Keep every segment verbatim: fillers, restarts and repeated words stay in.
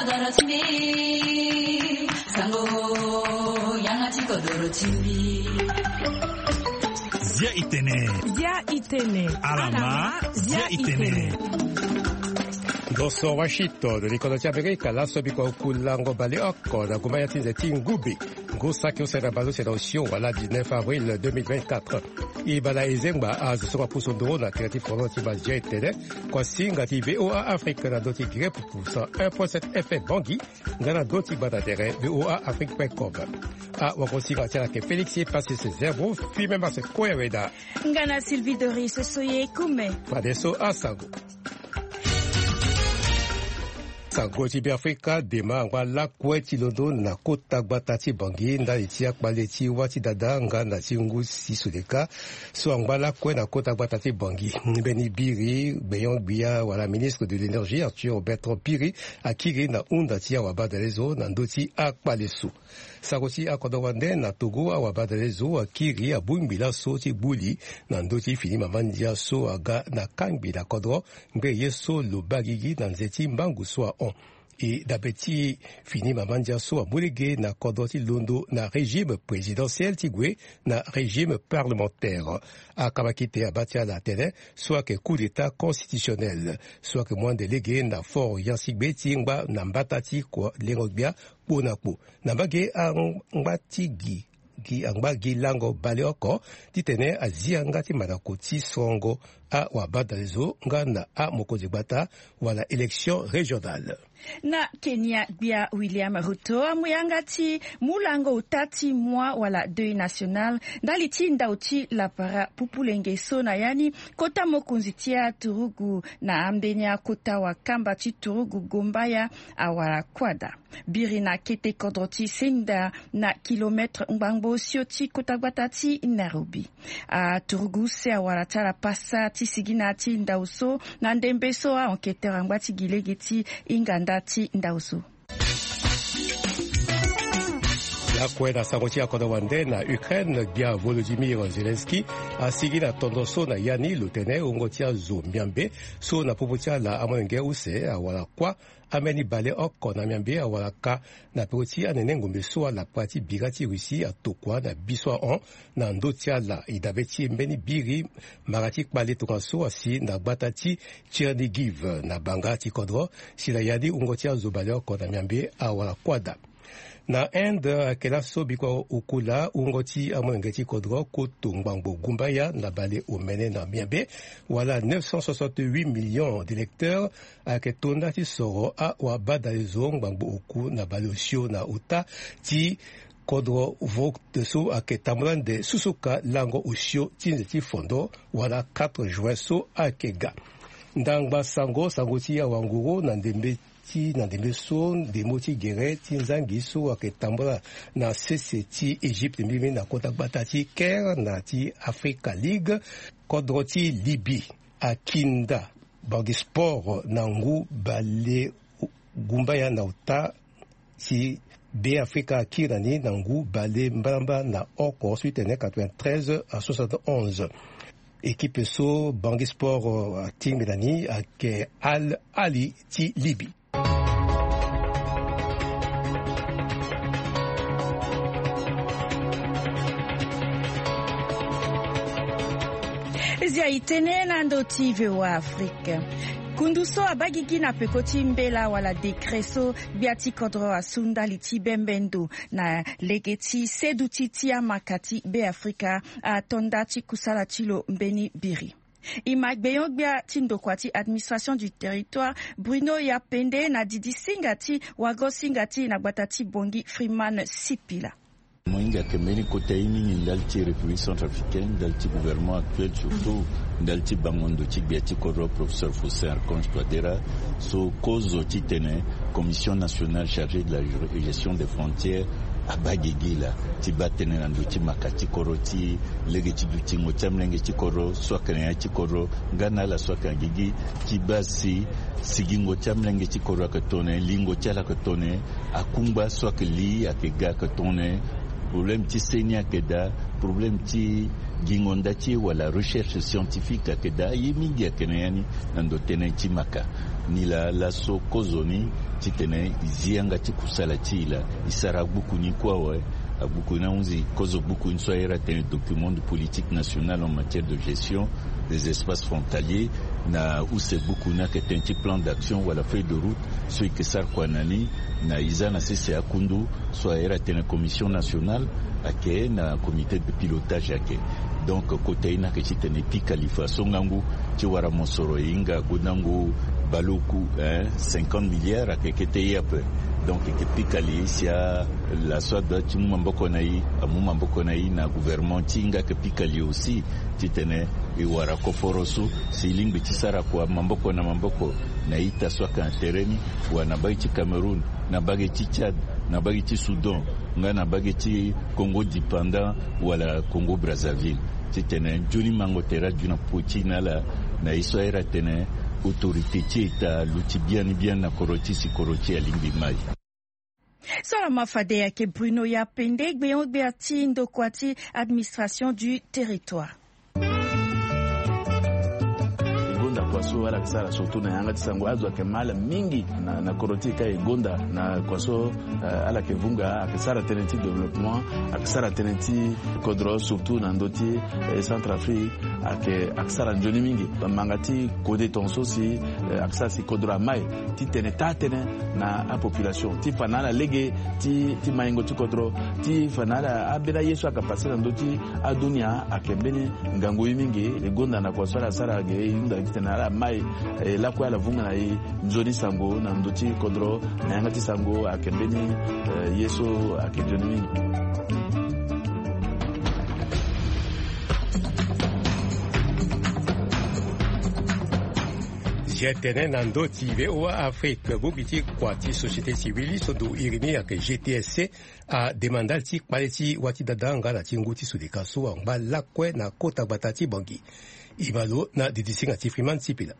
Zia itene. Zia itene. Alama, zia itene. Ndo so Washington, likondo ti Amerika, laso biko kulango baleoko na gumba ya ti nze ti ngube. Ngu saki use na bale use na osio wala dix-neuf avril deux mille vingt-quatre. E bala e zengba azo so apusu nduru na tere ti fono ti base zia itene. Kua singa ti V O A Afrique na ndö ti Guinée pupu cent un point sept F M Bangui. Nga na ndö ti gbata tere V O A Afrique point com. Awagosinga ti ala ayeke Félix Passis Zerbo, Firmin Marcel Koyaweda. Nga na Sylvie Doris Soye Kume. Fadeso asango. Sango ti Beafrika, dema angba lakue ti londo na kota gbata ti Bangui ndali ti akpale ti wâ ti dada nga na ti ngu si soleka. So angba lakue na kota gbata ti Bangui, mbeni biri gbenyo-gbia wala ministre de l'énergie Arthur Bertrand Piri akiri na hunda ti awabadalezo na ndö ti akpale so. Sango ti akodro wande na Togo, awabadalezo akiri abongbi laso ti gbu li na ndö ti fini mama ndia so aga na kangbi na kodro ngbene ye so lo baa gigi na nze ti mbangu so ahon. E dabe ti fini mama ndia so amu lege na kodro ti londo na régime présidentiel ti gue na régime parlementaire. Akamakite abaa ti ala atene so ayeke coup d'état constitutionnel so ayeke mu ande lege na fort yansigbe ti ngba na mbata ti kua lengo-gbia kpo na kpo. Na mbage angba ti gi, gi angba gi lango baleoko titene azi yanga ti mandako ti sorongo awabadalezo nga na amokonzi gbata wala élection régionale. Na Kenya, gbia William Ruto amu yanga ti mu lango ota ti mois wala deuil national ndali ti ndau ti lapara pupulenge so na ya ni kota mokonzi ti aturugu na ambeni akota wakamba ti turugu Gombaya awara kuâ daa. Biri na kete kodro ti Senda na kilomètre ngbangbo osio ti kota gbata ti Nairobi. Aturugu use awara ti ala pasa ti sigi na ya ti ndau so na ndembe so a-enquêteur angba ti gi lege ti hinga nda ti ndau so. Lakue na sango ti akodro wande na Ukraine, gbia Volodymyr Zelensky asigi na tondo so na ya ni lo tene wungo ti azo miambe so na popo ti ala amolenge use awara kuâ. Ambeni baleoko na miambe awara ka na peko ti anene ngombe so alapa ti bira ti Russie atokua na bi so ahon na ndö ti ala. E dabe ti mbeni biri mara ti kpale tongaso asi na gbata ti Chernigiv na banga ti kodro. Si na ya ni wungo ti azo baleoko na miambe awara kuâ daa. Na Inde, ayeke laso bikua okula wungo ti amolenge ti kodro koto ngbangbo gumbaya na bale omene na miambe wala neuf cent soixante-huit millions d'électeurs ayeke to nda ti soro awabadalezo ngbangbo oku na bale osio na ota ti kodro vote so ayeke tambula nde susuka lango osio ti nze ti fondo wala quatre juin so ayeke ga. Ndangba sango, sango ti awanguru na ndembe ti na ndembe so ndemo ti gere ti nzangi so ayeke tambula na sese ti Egypte mbirimbiri na kota gbata ti Caire na ti Africa League. Kodro ti Libye akinda bangi sport na ngu bale gumbaya na ota si Be Afrika akiri na ni na ngu bale mbalamba na oko so ti tene quatre-vingt-treize à soixante-onze. Ekipe so Bangui Sport, euh, atingbi na ni ayeke Al Ahly ti Libye. Zia e tene na ndo ti V O A Afrique. Kundu so abaa gigi na peko ti mbela wala décret so gbia ti kodro asu ndali ti bembe ndo na lege ti seduti ti amaka ti Be Afrika ato nda ti kusala ti lo mbeni biri. E ma gbenyo-gbia ti ndokua ti administration du territoire Bruno Yapende na didi singa ti wago singa ti na gbata ti Bangui Freeman Sipila. Mo hinga ayeke mbeni kota ye mingi ndali ti République centrafricaine, ndali ti gouvernement actuel, surtout ndali ti bango ndo ti gbia ti kodro, professeur Faustin Archange Touadéra, so kozo titene Commission nationale chargée de la gestion des frontières abaa gigi laa ti baa tënë na ndo ti maka ti kodro ti lege ti dutingo ti amolenge ti kodro so ayeke na ya ti kodro, nga na ala so ayeke na gigi, ti baa si sigingo ti amolenge ti kodro ayeke tongana nyen, lingo ti ala ayeke tongana nyen, akungba so ayeke li ayeke ga ayeke tongana nyen, Problème ti seni ayeke daa. Problème ti gingo nda ti e wala recherche scientifique ayeke daa. Aye mingi ayeke na ya ni na ndo tënë ti maka. Nilaa laso kozo ni titene e zi yanga ti kusala ti e laa, e sara agbuku ni kue awe. Agbuku ni ahunzi kozo gbuku ni so ayere atene document de politique nationale en matière de gestion des espaces frontaliers. Na use gbuku ni ayeke tënë ti plan d'action wala feuille de route so e yeke sara kua na ni. Na e za na sese akundu so ayere atene commission nationale ayeke na comité de pilotage ayeke. Donc kota ye ni ayeke titene e pika li faso ngangu ti wara mosoro e hinga gondango baleoku, hein, cinquante milliards ayeke kete ye ape. Donc e yeke pika li si ala so adoit ti mu maboko na e amu maboko na e, na gouvernement ti e nga ayeke pika li aussi titene e wara koforo so si e lingbi ti sara kua maboko na maboko na ita so ayeke na tere ni, wala na mbage ti Cameroun, na mbage ti Tchad, na mbage ti Soudan, nga na mbage ti Congo dépendant wala Congo Brazzaville. Titene nzoni mango tere aju na popo ti e na ala, na ye so ayere atene autorité ti État aluti biani biani na kodro ti e si kodro ti e alingbi mai. So ala ma fade ayeke Bruno Yapende, gbenyo-gbia ti ndokua ti administration du territoire. E gonda kua so ala yeke sara surtout na yanga ti sango, azo ayeke ma ala mingi na, na kodro ti e ka e gonda na kua so, eh, ala yeke vunga, ayeke sara tënë ti développement, ayeke sara tënë ti kodro surtout na ndö ti, eh, Centrafrique, ayeke, ayeke sara nzoni mingi. Manga ti kode tongaso si, eh, ayeke sara si kodro amai titene taa tënë na apopulation ti fa na ala lege ti, ti maingo ti kodro, ti fa na ala ambeni aye so ayeke pase na ndö ti adunia ayeke mbeni ngangu ye mingi. E gonda na kua so ala sara ge, e hunda titene ala mai, eh, lakue ala vunga na e nzoni sango na ndö ti kodro, na yanga ti sango ayeke mbeni, eh, ye so ayeke nzoni mingi. Zia tene na ndö ti V O A Afrique, bongbi ti kua ti société civile so ndo iri ni ayeke G T S C, ademande ala ti kpale ti wa ti dada nga na ti ngu ti sodeka so angba lakue na kota gbata ti Bangui. E ma lo na didisinga ti Freeman Sipila.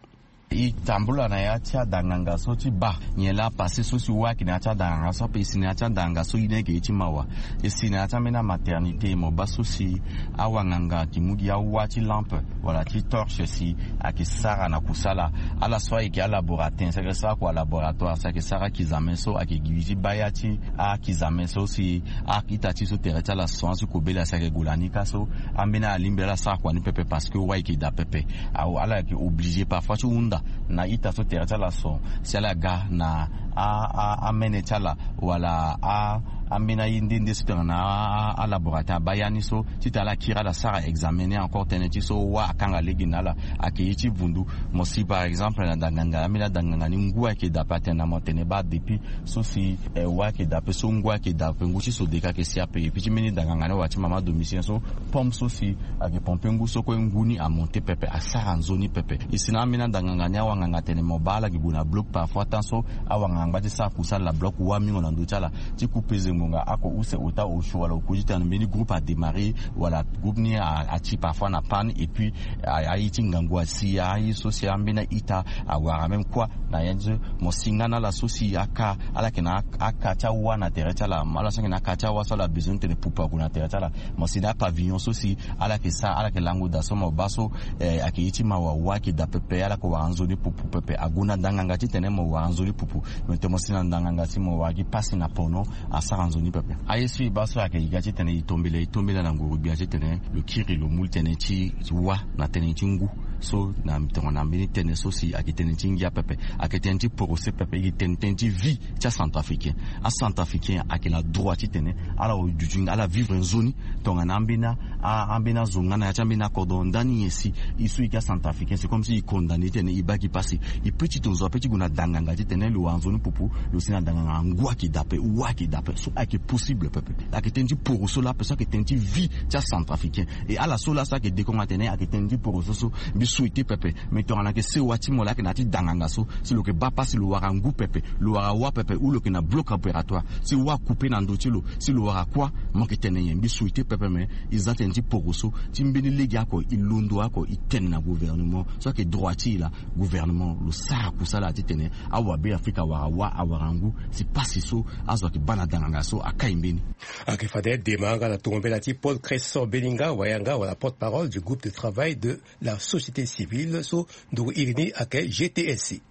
E tambula na ya ti adanganga so ti baa nyen laa pase so si wâ ayeke na ya ti adanganga so ape. E si na ya ti adanganga so ye ni ayeke ye ti mawa. E si na ya ti ambeni amaternité mo baa so si awanganga ayeke mu gi awâ ti lampe wala ti torche si ayeke sara na kusala. Ala so ayeke alaboratin si ayeke sara kua laboratoire si ayeke sara akizame so ayeke gi ti baa ya ti akizame so si a-ita ti so tere ti ala son asi kobela si ayeke gue na ni ka so. Ambeni alingbi ala sara kua ni pepe parce que wâ ayeke daa pepe. Awe ala yeke obligé parfois ti hunda na ita so tere ti ala son si ala ga na a, a, amene ti ala wala a, ambeni aye nde nde so tongana a, a, alaboratin abaa ya ni so titene ala kiri ala sara examen ni encore tënë ti so wâ akanga lege na ala. Ayeke ye ti vundu. Mo si par exemple na danganga, ambeni adanganga ni ngu ayeke daa pe atene na mo tene baa depuis so si, eh, wâ ayeke daa pe so ngu ayeke daa pe ngu ti sodeka ayeke si ape. Et puis ti mbeni danganga ni wala ti mama domicien so pompe so si ayeke pompe ngu so kue ngu ni amonte pepe, asara nzoni pepe. E si na ambeni adanganga ni awanganga atene mo baa ala yeke gue na bloc parfois temps so awanganga angba ti sara kusala na bloc wâ mingo na ndö ti ala ti ku peze ngbonga oko use ota osio wala okodi titene mbeni groupe adémarrer wala groupe ni a, ati parfois na panne et puis a, aye ti ngangu asi aye so si ambeni a-ita awara même kua na ya ni so. Mo si nga na ala so si aka ala yeke na aka ti awâ na tere ti ala, ala so ayeke na aka ti awâ so ala besoin titene pupu ague na tere ti ala. Mo si na apavillon so si ala yeke sara, ala yeke lango daa so mo baa so, eh, ayeke ye ti mawa, wâ ayeke daa pepe, ala yeke wara nzoni pupu pepe. Ague na ndanganga titene mo wara nzoni pupu. Me tene mo si na ndanganga si mo wara gi pasi na pono, asara nzoni pepe. Aye so e baa so ayeke e ga titene e tombela, e tombela na nguru-gbia titene lo kiri lo mu tënë ti wâ na tënë ti ngu. So na tongana mbeni tënë so si ayeke tënë ti ngia pepe, ayeke tënë ti porose pepe, e yeke tene tënë ti vie ti acentrafricain. Acentrafricain ayeke na droit titene ala duti nga, ala vivre nzoni tongana ambeni a, ambeni azo nga na ya ti ambeni akodro. Ndani nyen si e so e yeke acentrafricain, c'est comme si e condamné titene e baa gi pasi. E peut ti tongaso ape ti gue na danganga titene lo wara nzoni pupu, lo si na danganga ngu ayeke daa ape, wâ ayeke daa ape. So ayeke possible pepe. Ayeke tënë ti poroso laa ape, so ayeke tënë ti vie ti acentrafricain. E ala so laa so ayeke dekongo atene ayeke tënë ti poroso so, mbi souhaité pepe. Me tongana ayeke sewa ti mo laa ayeke na ya ti danganga so, si lo yeke baa pasi lo wara ngu pepe, lo wara wâ pepe, ou lo yeke na bloc opératoire, si wâ akoupe na ndö ti lo, si lo wara kuâ, mo yeke tene nyen? Mbi souhaité pepe, me e za tënë ti poroso ti mbeni lege oko, e londo oko, e tene na gouvernement so ayeke droit ti e laa, gouvernement lo sara kusala titene awabe Afrika awara wâ, awara ngu, si pasi so azo ayeke baa na danganga So akai mbeni. Ayeke fade dema nga na tongo mbela ti Paul Cresson Belinga Wayanga wala porte-parole du groupe de travail de la société civile so nduru iri ni ayeke G T S C.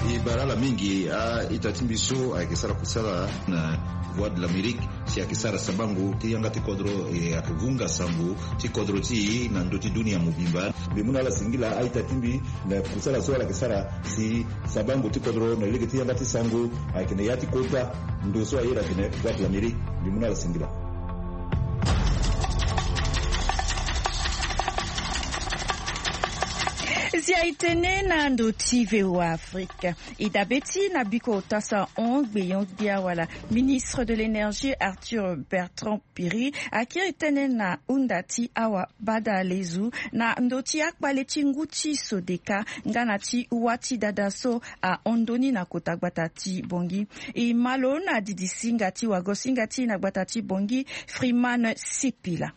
E bara ala mingi a-ita ti mbi so ayeke sara kusala na Voix de l'Amérique si ayeke sara sabango ti yanga ti kodro, e ayeke vunga sango ti kodro ti e na ndö ti dunia mobimba. Mbi mu na ala singila a-ita ti mbi na kusala so ala yeke sara si sabango ti kodro na lege ti yanga ti sango ayeke na ya ti kota ndo so aye ayeke na Voix de l'Amérique. Mbi mu na ala singila. Si aye tënë na ndö ti V O A Afrique. E dabe ti na biko ota sahon gbeyon gbia wala ministre de l'énergie Arthur Bertrand Piri akiri tënë na hunda ti awa bada lezu na ndö ti akpale ti ngu ti Sodeka nga na ti wâ ti dada so ahon ndoni na kota gbata ti Bangui. E ma lo na didi singa ti wago singa ti na gbata ti Bangui, Freeman Sipila.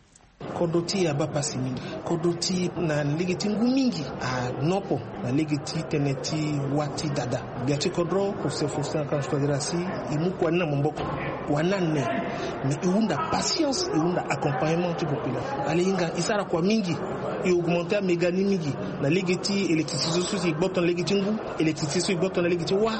Kodro ti e abaa pasi mingi. Kodro ti e na lege ti ngu mingi anopo na lege ti tënë ti wâ ti dada. Gbia ti kodro, professeur Faustin Archange Touadéra si e mu kua ni na maboko. Kua ni ane. Mais e hunda patience, e hunda accompagnement ti population. Ala hinga e sara kua mingi. E augmenter améga ni mingi na lege ti électricité so si e gboto na lege ti ngu, électricité so e gboto na lege ti wâ,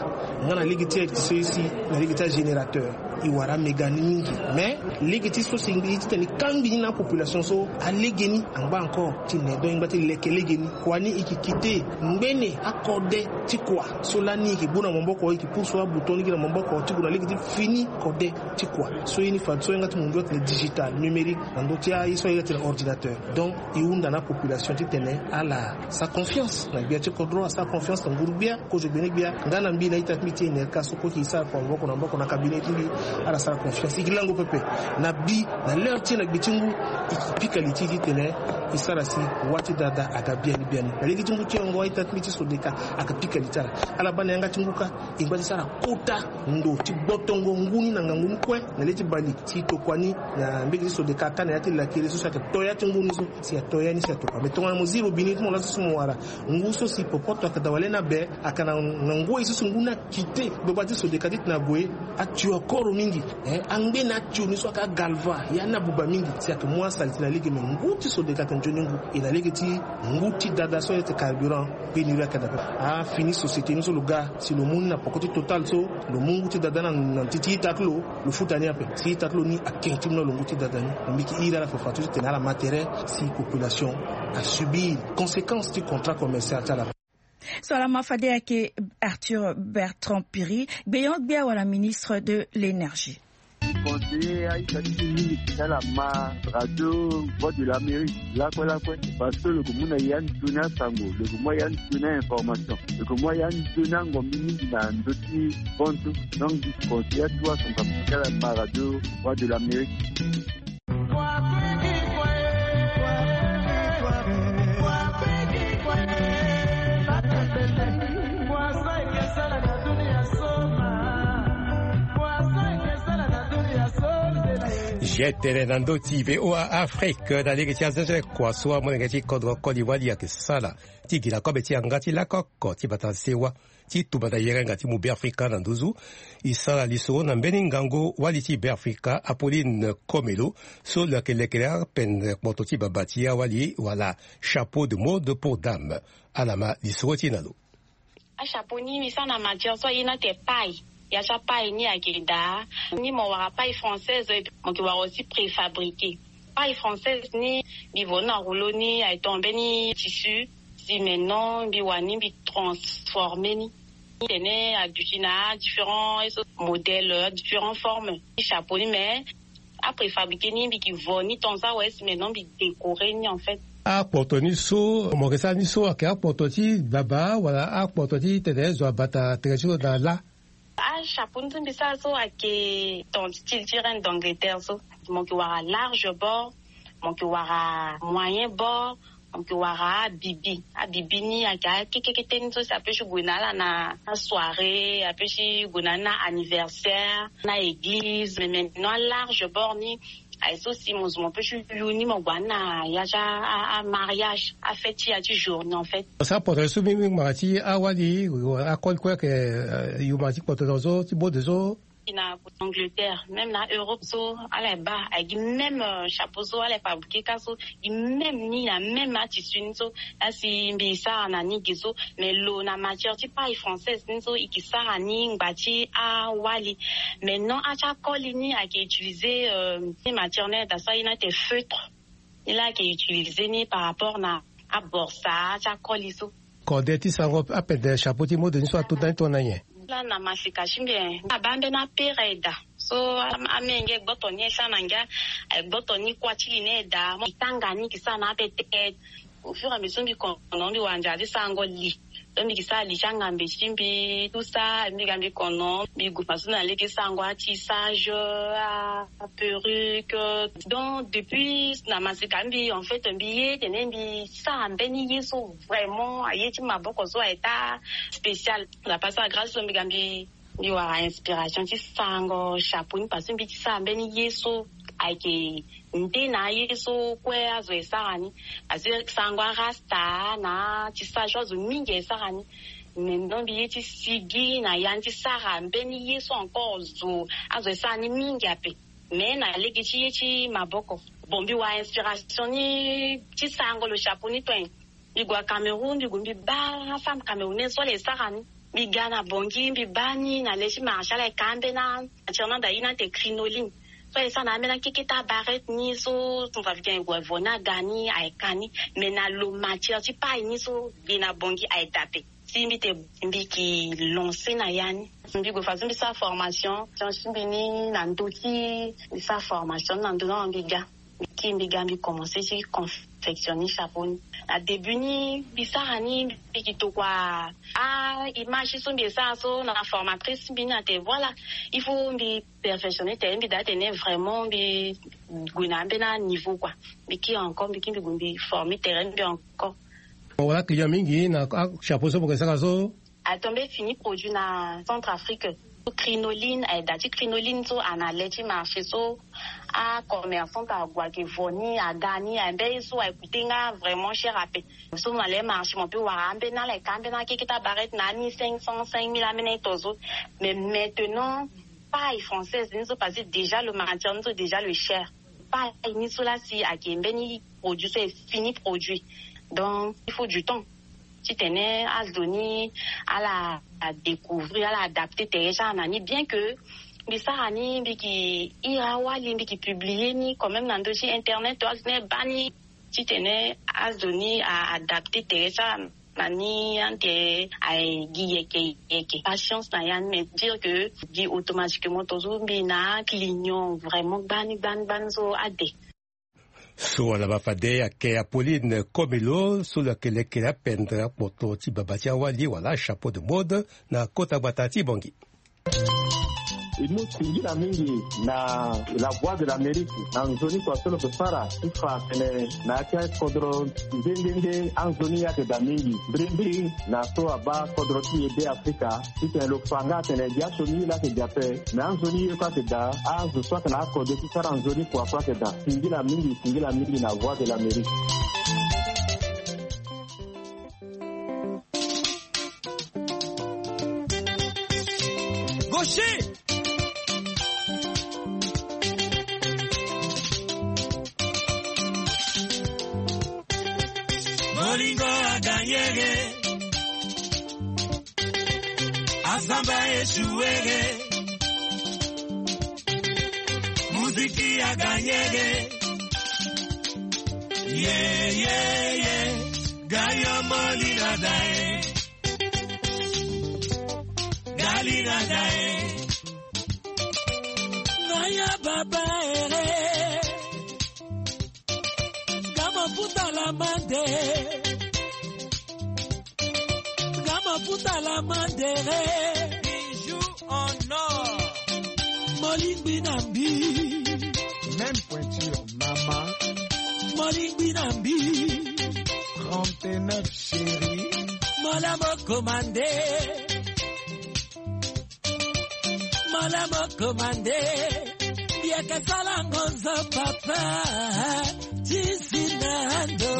nga na lege ti électricité so si na lege ti agénérateur. E wara améga ni mingi. Mais lege ti so si ngbi titene e kangbi ni na apopulation so, alege ni angba encore ti ne. Donc e ngba ti leke lege ni. Kua ni e yeke kite ngbene akode ti kua so lani e yeke gbu na maboko, e yeke pusu abouton ni gi na maboko ti gue na lege ti fini kode ti kua. So ye ni fadeso yanga ti mundu atene digital, numérique, na ndö ti aye so aye atene ordinateur. Donc e hunda na apopulation titene ala sara confiance na gbia ti kodro, asara confiance na nguru-gbia, kozo gbene-gbia, nga na mbi na ita ti mbi ti E N R K so kue e sara kua maboko na maboko na cabinet ti mbi. Ala sara confiance, e yeke lango pepe na bi na l'heure ti e na gbe ti ngu. E yeke pika li ti e titene e sara si wâ ti dada aga biani biani. Na lege ti ngu ti yongo a-ita ti mbi ti Sodeka ayeke pika li ti ala. Ala baa na yanga ti ngu kâ e ngba ti sara kota ndo ti gbotongo ngu ni na ngangu ni kue na le ti bale si e tokua ni na mbege ti Sodeka kâ na ya ti lakere so si ayeke to ya ti ngu ni so si ato ya ni si atokua. Mais tongana mo zi robinet ti mo laso so mo wara ngu so si popoto ayeke daa wala ni abe, ayeke na ngoi so si ngu ni akite. Gbagba ti Sodeka titene ague, atio akoro mingi. Eh, angbene atio ni so ayeke agalva, ya ni abuba mingi si ayeke mu asalite na lege. Me ngu ti Sodeka ayeke nzoni ngu. E na lege ti ngu ti dada so ayeke carburant, pénurie ayeke daa. Afini société ni so lo ga si lo mu ni na poko ti Total so, lo mu ngu ti dada ni na, na ti, ti ita ti lo, lo futa ni ape. Si ita ti lo ni ake ti mu na lo ngu ti dada ni. Mbi yeke iri ala fafadeso titene ala ma tere si population asubir conséquence ti contrat commercial ti ala. So ala ma fade ayeke Arthur Bertrand Piri, gbeyon-gbia wala ministre de l'énergie. Conseiller a-ita ti mbi mingi si ala ma radio Voix de l'Amérique lakue lakue, parce que lo yeke mu na ya nzoni asango, lo yeke mu ya nzoni a-information, lo yeke mu ya nzoni angombi mingi na ndö ti bantu. Donc mbi conseiller atuwa son kapa ti ala ma radio Voix de l'Amérique. G T N na ndö ti V O A Afrique na lege ti azenze kua so amolenge ti kodro koli wali ayeke sala ti gi na kobe ti yanga ti lakoko ti bata sewa ti tumba na yerenga ti mu Beafrika na nduzu. E sara lisoro na mbeni ngangu wali ti Beafrika Apolline Komelo so lo yeke lekere apene kpoto ti baba ti awali wala chapeau de mode pour dame. Ala ma lisoro ti e na lo. Achapeau ni mbi sara na matière so aye ni atene paille. Ya ti apaille ni ayeke daa ni mo wara paille française, mo yeke wara aussi préfabriqué. Paille française ni mbi vo ni na rouleau ni ayeke tongana mbeni tissu. Si maintenant mbi wara ni mbi transformer ni. Tene aduti na différents modèles, différentes formes. Chapeau ni mais apréfabriqué ni mbi yeke vo ni tant ça ouais si maintenant mbi décorer ni en fait. Akpoto ni so mo yeke sara ni so ayeke akpoto ti baba wala akpoto ti tene zo abata tere ti lo na la? Achapeau ni so mbi sara so ayeke ton style ti reine d'Angleterre so. Mo yeke wara large bord, mo yeke wara moyen bord, mo yeke wara abibi. Abibi ni ayeke akekekete ni so si ape ti gue na ala na asoirée, ape ti gue na ala na anniversaire, na église. Mais maintenant alarge bord ni Aye so si mo zo mo pe ti yu ni mo gue na ya ti amariage, afête ti ya ti journée en fait. Sa poto so mbi mbi ngbanga ti awali akoli kue ayeke yu ma ti kpoto na zo ti bode so. Gi na Angleterre, même na Europe so ala ye baa, aye gi même chapeau so ala ye fabriquer kâ so, gi même ni na même atissu ni so. Laa si mbi sara na ni ge so. Mais lo na matière ti paille française ni so e ke sara ni ngba ti awali. Maintenant ati akoli ni ayeke utiliser ni matière ni daa so aye ni ate feutre. Ni laa ayeke utiliser ni par rapport na aborsa ti akoli so. Kode ti sango apende chapeau ti mode ni so ato ndani tongana nyen? Laa na masika ti mbi e abaa mbeni apere daa so amenge gboto ni e sara na ngia. Aye gboto ni kuâ ti li ni e daa mo e tanga ni e ke sara na ape te. Au fur et à mesure mbi kono mbi wara nzara ti sarango li. Donc mbi ke sara li ti angambe ti mbi tout ça, mbi ga mbi kono mbi gue façon na lege sarango atissage, aperruque. Donc depuis na masika mbi en fait mbi ye tene mbi sara mbeni ye so vraiment aye ti maboko so aye taa spécial. Na pasa grâce so mbi ga mbi mbi wara inspiration ti sarango chapeau ni parce que mbi ti sara mbeni ye so ayeke nde na aye so kue azo e sara ni. Parce que sarango arasta na tissage azo mingi e sara ni. Maintenant mbi ye ti sigi na ya ni ti sara mbeni ye so encore zo azo e sara ni mingi ape. Mais na lege ti ye ti maboko. Bon mbi wara inspiration ni ti sarango lo chapeau ni to nyen. Mbi gue na Cameroun mbi gue mbi baa femme camerounaise so ala e sara ni. Mbi ga na Bangui mbi baa ni na le ti marché ala e ka ambeni matière ni anda ye ni ate crinoline. So aye sara na ambeni akeke ti abarete ni so son fabriquant e gue vo ni aga ni aye ka ni. Mais na lo matière ti paille ni so ge na Bangui aye daa ape. Si mbi te mbi ke lancer na ya ni. Mbi gue façon mbi sara formation ti mbi ni na ndö ti mbi sara formation ni na ndö ni mbi ga. Mbi kiri mbi ga mbi commencer ti confectionner chapeau ni. Na début ni mbi sara ni mbi ke tokua a image so mbi e sara so na formatrice mbi ni ate voilà il faut mbi perfectionner tere mbi daa tene vraiment mbi gue na ambeni aniveau kua. Mbi kiri encore mbi kiri mbi gue mbi former tere mbi encore. Mo wara client mingi na achapeau so mo ke sara so? Atombe fini produit na Centrafrique. Crinoline aye daa ti crinoline so ana le ti marché so. Acommerçante ague ayeke vo ni aga ni aye mbeni so aye coûter nga vraiment cher ape. So mo na le marché mo pe wara ambeni ala aye ka ambeni akeke ti abarete na ani cinq cents cinq mille ambeni aye to so. Mais maintenant paille française ni so parce que déjà le matière ni so déjà le cher. Paille ni so laa si ayeke mbeni produit so e fini produit. Donc il faut du temps titene azo ni ala découvrir ala adapter tere ti ala na ni bien que mbi sara ni mbi ke iri awali mbi ke publier ni quand même na ndö ti internet to azo ni e baa ni titene azo ni a adapter tere ti ala na ni ande aye gi yeke yeke patience na ya ni mais dire que gi automatiquement to so mbi na client vraiment gbani gbani gbani so ade. So wala ba fade ayeke Apolline Komelo so lo yeke lekere apendre akpoto ti baba ti awali wala chapeau de mode na kota gbata ti Bangui. E mu singila mingi na La Voix de l'Amérique na nzoni kua so lo ke sara ti fa atene na ya ti akodro nde nde nde anzoni ye ayeke daa mingi mbirimbiri na so abaa kodro ti e Be Afrika titene lo fa nga atene gi asioni ye laa ayeke daa ape. Me anzoni ye kue ayeke daa azo so ayeke na akode ti sara nzoni kua kue ayeke daa. Singila mingi singila mingi na Voix de l'Amérique. Gaucher. Bolingo aganyege. Asamba échouege. Muziki aganyege. Ye ye ye. Gayo molina dae. Galina dae. Naya baba ere. Gama puta la mande. Gama puta la mandere. Bijou en or. Molingbi na mbi. Même pointure, maman. Molingbi na mbi. Trente-neuf chérie. Mola mo commandé. Mola mo commandé. Yaka sala ngonzo papa, ti si na ndo.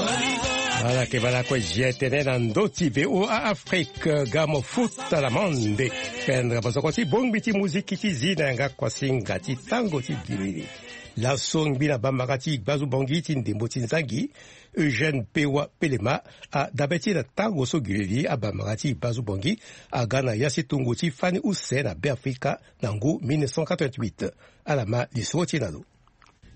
Ala ke bala kue je tene na ndo ti VOA Afrique, gamo futa la monde. Pendre bozoko ti bongbi ti muziki ti zi na yanga kuasinga ti tango ti gilili. Laso ngbi na bambara ti gbazu bongi ti ndembo ti nzangi, Eugène Pewa Pelema, adabe ti na tango so gilili abambara ti gbazu bongi aga na ya si tungu ti fani use na Beafrika na ngu mille neuf cent quatre-vingt-huit. Ala ma lisoro ti na lo.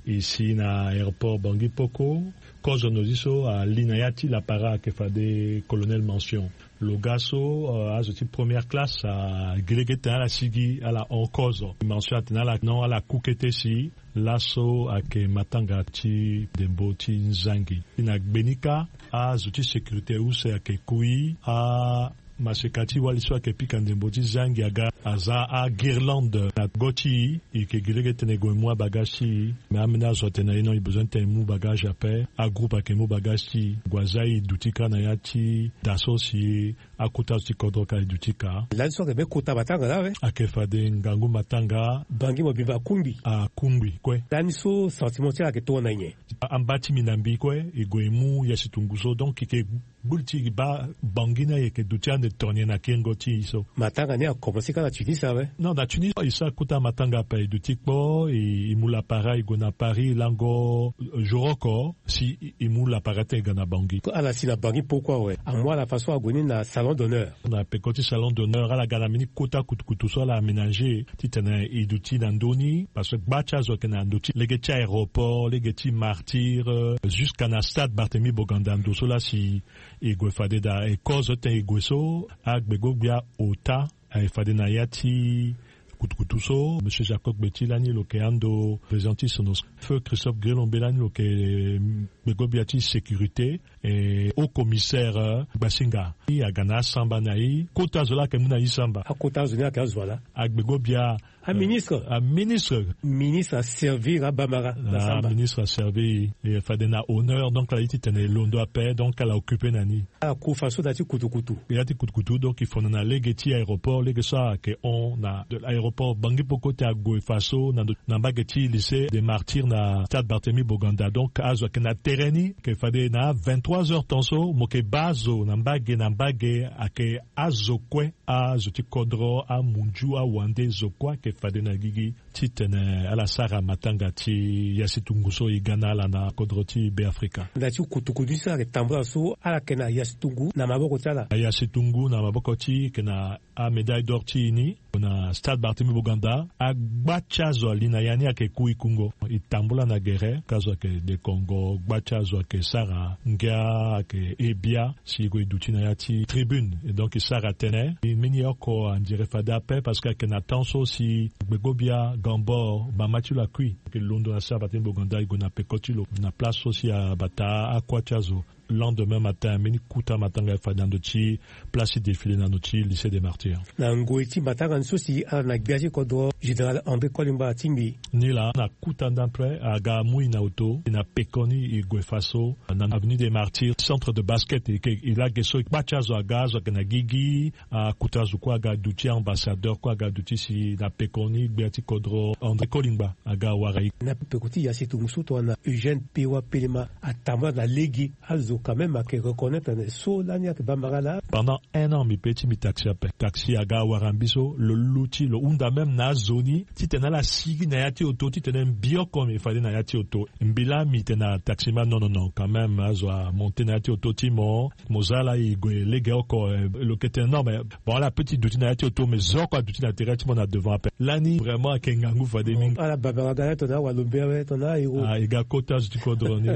E si na aéroport Bangui Poko, kozo nozi so ali na ya ti lapara ayeke fade colonel Mention. Lo ga so, euh, azo ti première classe, ah, gi lege ti tene ala sigi, ala hon kozo. Mention atene ala non, ala ku kete si. Laso ayeke matanga ti ndembo ti nzangi. Na gbenika, azo ti sécurité use ayeke kui, a maseka ti wali so ayeke pika ndembo ti zangi aga aza aguirlande na go ti e. E yeke gi lege titene e gue mu abagage ti e. Me ambeni azo atene na e non, e besoin titene e mu bagage ape. Agroupe ayeke mu bagage ti e, gue aza e duti kâ na ya ti da so si akota azo ti kodro ka e duti kâ. Lani so ayeke be kota matanga laa awe? Ayeke fade ngangu matanga. Bangi mo bimba akungbi. Akungbi kue. Lani so sentiment ti ala ayeke tongana nyen? Amba ti mbi na mbi kue, e gue e mu ya si tungu so, donc e yeke gbu li ti e baa Bangui ni ayeke duti ande tonye na kengo ti e so. Matanga ni akomanse kâ na Tunis awe? Non, na Tunis e sara kota matanga ape, e duti kpo, e, e mu lapara e gue na Paris lango, euh, jour oko si e, e mu lapara ti e ga na Bangui. Ala si na Bangui poko awe, amu ala façon ague ni na salon d'honneur. Na peko ti salon d'honneur ala ga na mbeni kota kutukutu so ala aménager titene e duti na ndö ni, parce que gba ti azo ayeke na ndö ti lege ti aéroport, lege ti Martyrs, euh, jusqu'à na stade Barthélemy Boganda, ndo so laa si e gue fade daa. E kozo titene e gue so, agbego-gbia ota, e fade na ya ti kutukutu so, monsieur Jacob Gbeti lani lo yeke ando président ti Sonosco. Feu Christophe Grelombe lani lo yeke, mm, gbego-gbia ti sécurité, e haut commissaire, euh, Gbasinga. E aga na asamba na e. Kota zo laa ayeke mu na e samba. Akota zo ni ayeke azo ala? Agbego-gbia, aministre. Euh, aministre. Ministre aservir abamara na samba. Aministre aservir e, e fade na honneur, donc ala ye titene e londo ape, donc ala occupe na ni. Ala ku faso na ya ti kutukutu. Ya ti kutukutu, donc e fono na lege ti aéroport, lege so ayeke hon na aéroport Bangui Poko ti ague faso na ndo, na mbage ti lycée des Martyrs na stade Barthélemy Boganda. Donc azo ayeke na tere ni, ayeke fade na vingt-trois heures temps so mo yeke baa azo na mbage na mbage, ayeke azo kue, azo ti kodro, amunzu, awande, zo kue ayeke fade na gigi titene ala sara matanga ti ya si tungu so e ga na ala na kodro ti Beafrika. Na ya ti kutukutu so ala yeke tambula so, ala yeke na ya si tungu na maboko ti ala? Ya si tungu na maboko ti e, e yeke na amédaille d'or ti e ni na stade Barthélemy Boganda. Agba ti azo ali na ya ni ayeke ku e kungo. E tambula na gere, ka azo ayeke dekongo, gba ti azo ayeke sara ngia, ayeke he bia si e gue e duti na ya ti tribune. Et donc e sara tënë. E mbeni oko andire fade ape parce que ayeke na temps so si gbego-gbia Gambor, mama ti lo akui. Ayeke londo na stade Barthélemy Boganda, e gue na peko ti lo na place so si abata akua ti azo. Lendemain matin, mbeni kota matanga e fade na ndo ti place ti défilé na ndo ti lycée des Martyrs. Na ngoi ti matanga ni so si ala na gbia ti kodro, général André Kolimba atingbi. Ni laa na kota nda ape aga amu e na oto, e na pekoni e gue faso na avenue des Martyrs, centre de basket. E yeke, e laa ge so gba ti azo aga, azo ayeke na gigi, akota zo kue aga duti, ambassadeur kue aga duti si na pekoni gbia ti kodro André Kolimba aga wara e. Na peko ti ya si tungu so tongana Eugène Pewa Pelema atambula na lege, azo quand même ayeke reconnaître tene so lani ayeke bambara laa. Pendant un an mbi pe ti mbi taxi ape. Taxi aga wara mbi so, lo luti, lo hunda même na azo ni titene ala sigi na ya ti oto, titene mbi oko mbi fade na ya ti oto. Mbi laa mbi tene na taximan non, non, non, quand même azo amonte na ya ti oto ti mo. Mo za laa e gue lege oko, eh, lo yeke tene non, mais bon, ala peut ti duti na ya ti oto, mais zo oko aduti na tere ti mo na devant ape. Lani vraiment ayeke ngangu fade mingi. Ala bambara aga na tongana awalombe awe, tongana ahéros. Ah, e ga kota zo ti kodro ni.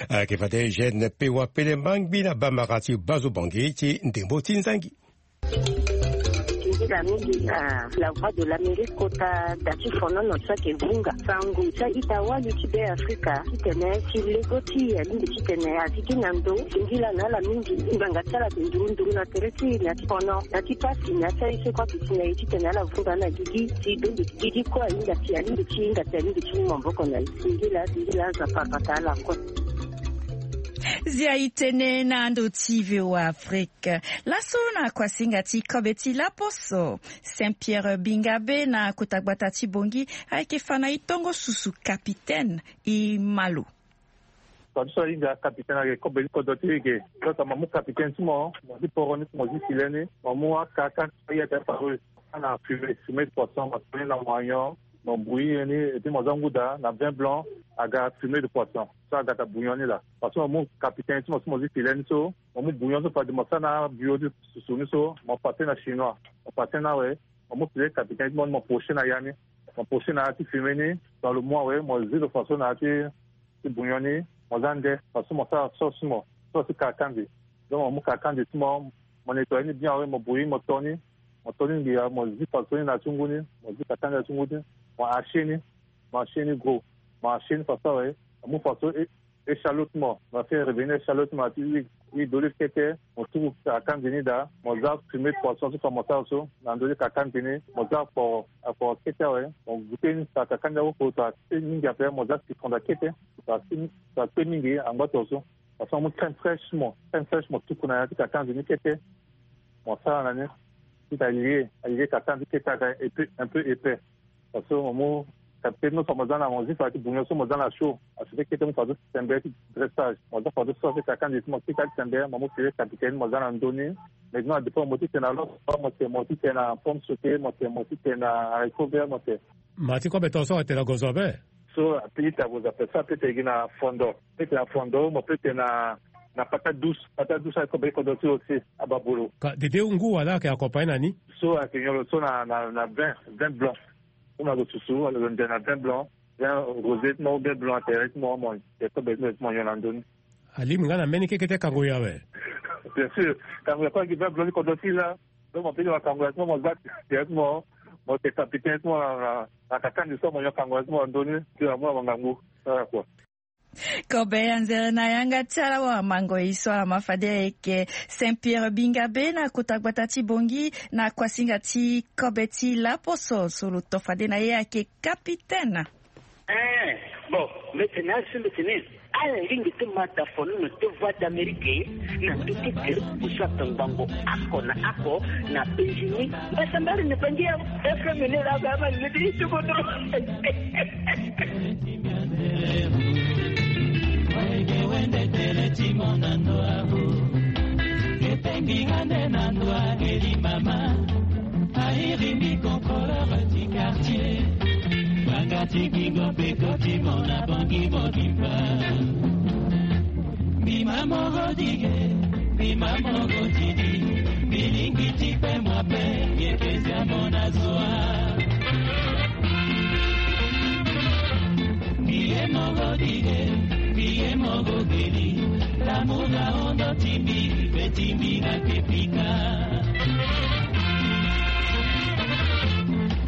Ayeke fade Eugène Pewa Pelema ngbi na bambara ti gbazo bongi ti ndembo ti nzangi. Singila mingi na La Voix de l'Amérique kota da ti fonono so ayeke vunga sango ti a-ita wali ti Beafrika titene ti lego ti e alingbi titene a sigi na ndo. Singila na ala mingi, ngbanga ti ala ayeke nduru nduru na tere ti e na ya ti fono, na ya ti pasi, na ya ti aye so kue ayeke si na e titene ala vunga na gigi ti bembe ti gigi kue ahinga ti, alingbi ti hinga ti, alingbi ti mu maboko na e. Singila, singila, azo apara bata ala kue. Zia itene na ndo ti V O A Afrique. Laso na kuasinga ti kobe ti laposo, Saint Pierre Bingabe na kota gbata ti Bongi ayeke fa na e tongo susu capitaine. E ma lo. Fa ti so ahinga capitaine ayeke kobe ti kodro ti e ge. Kota mo mu capitaine ti mo, mo zi poro ni, mo zi filet ni, mo mu akaka ti so aye ate faru. Ana fumée, fumée de poisson, mo toni na moignon, mo bouillir ni, et puis mo za nguda na vin blanc, aga fumée de poisson. So aga ta bouillon ni la. Parce que mo mu capitaine ti mo so mo zi filet ni so, mo mu bouillon so fade mo sa na bio ti susu ni so, mo pase na chinois, mo pase na awe, mo mu filet capitaine ti mo ni, mo poche na ya ni, mo poche na ya ti fumée ni, dans le mois awe, mo zi lo faso na ya ti ti bouillon ni, mo za nde, parce que mo sara sauce ti mo, sauce ti kakandi. Donc mo mu kakandi ti mo, mo nettoyer ni bien awe, mo bouillir, mo to ni, mo to ni ngia, mo zi faso ni na ya ti ngu ni, mo zi kakandi na ya ti ngu ni, mo hacher ni, mo hacher ni gros, mo hacher ni faso awe, mo mu faso e, échalote ti mo, mo fait revenir échalote ti mo na ya ti huile, huile d'olive kete, mo tuku kakandi ni daa, mo za fumée de poisson so fa mo sara so na ndö ti kakandi ni, mo za akporo, akporo kete awe, mo goûter ni, sa kakandi awe oko, sa kpe mingi ape, mo za citron daa kete, sa kpe, sa kpe mingi angba to so. Parce que mo mu crème fraîche mo, crème fraîche mo tuku na ya ti kakandi ni kete, mo sara na ni, ti alie, alie kakandi kete aga un peu, un peu épais. Parce que mo mu capitaine ti mo so mo za na, mo zi fa ti bouillon so mo za na chaud. Acheter kete mo fa so ti tembe ti dressage. Mo za fa so sauce ti kakandi ti mo kika ti tembe, mo mu filet capitaine mo za na ndö ni. Maintenant, dépend mo ti tene na lo, mo tene, mo ti tene na pomme sautée, mo tene, mo ti tene na haricot vert, mo tene. Ma ti kobe to so atene na gozo ape. So ape ita gozo ape, so ape tene gi na fondo. Peut-être na fondo, mo peut-être na, na patate douce. Patate douce aye kobe ti kodro ti aussi, ababolo. Ka dede ngu wala ayeke accompagner na ni? So ayeke nyon lo so na, na, na vin, vin blanc. So mo yeke susu, lo nze na vin blanc, vin rosé ti mo, vin blanc atene ti mo, mo yeke kobe ti mo, ti mo nyon na ndö ni. Alingbi nga na mbeni keke ti kango ya awe. Bien sûr, kango ya kue ayeke vin blanc ti kodro ti e laa. Donc mo peut ti wa kango ya ti mo, mo za tere ti mo, mo tene capitaine ti mo na, na, na kakandi so mo nyon kango ya ti mo na ndö ni, ti amu na mo ngangu. Sara kua. Kobe anzere na yanga ti ala wamango e so ala ma fade ayeke Saint Pierre Bingabe na kota gbata ti Bongi na kuasinga ti kobe ti laposo so lo to fade na ye ayeke capitaine. Eh, bon, mbi tene na ala so mbi tene, ala lingbi ti ma da fono na ti Voix d'Amérique na ndö ti groupe so atongbango oko na oko na Benjini. Mbasambari na bangi ya F M ni la, ba ma lili ti kodro. Wege wende tele ti mo na ndo abu. Etengi nga nde na ndo ageli mama. Airi mbi contrôleur ti quartier. Banga ti gingo mpe koti mo na bangi mobimba. Mbi ma moro dige, mbi ma moro didi, mbi lingbi ti kpe mwa mpe, yeke zia mo na zwa. Mbi ye moro dige, mbi ye moro geli, l'amour na ondo ti mbi, mpe ti mbi na kepika.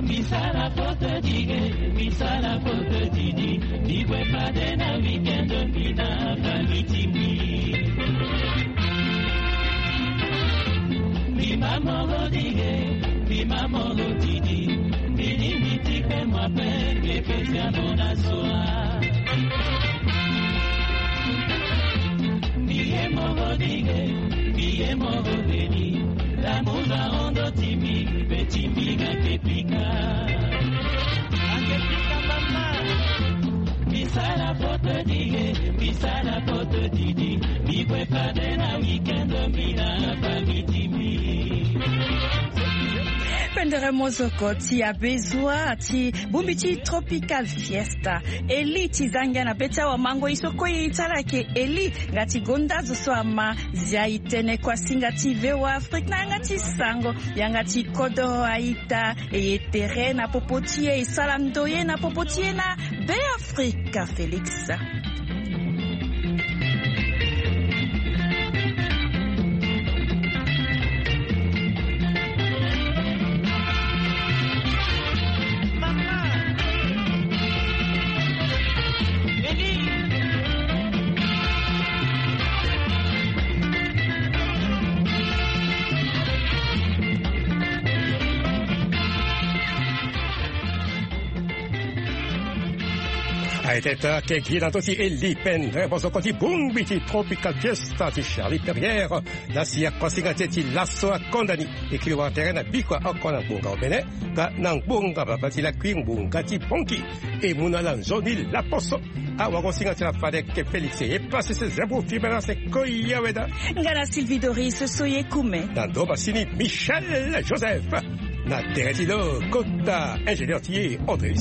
Mbi sara faute dige, mbi sara faute didi, mbi gue fade na weekend mbi na famille ti mbi. Mbi ma moro dige, mbi ma moro didi, mbi lingbi ti kpe mwa mpe, mbi yeke zia mo na zwa. Mbi ye moro dige, mbi ye moro beni, l'amour na ondo ti mbi, mpe ti mbi nga kepika. Nga kepika mama. Mbi sara faute dige, mbi sara faute didi, mbi gue fade na weekend mbi na famille ti mbi. Pendere mozoko ti abezua ti bongbi ti Tropical Fiesta. Eli ti za ngia na be ti awamango e so kue e ti ala ayeke Eli nga ti gonda zo so ama zia e tene kuasinga ti V O A Afrique na yanga ti sango, yanga ti kodro a-ita. E ye tere na popo ti e, e sara ndoye na popo ti e na Beafrika Félix. Aye teta ke gi na ndö ti Eli Pendre bosoko ti bongbi ti Tropical Fiesta ti Charlie Perrière. Na si akosinga ti e ti laso akonda ni e kiri wara tere na bikua oko na ngbonga obene. Nga na ngbonga baba ti lakui ngbonga ti bongi e mu na ala nzoni laposo. Awagosinga ti ala fadeke Félix e pase se zabo fibera se koya weda. Nga na Sylvie Doris so ye kume. Na ndo masini Michel Joseph. Na tere ti lo kota ingénieur ti ye André.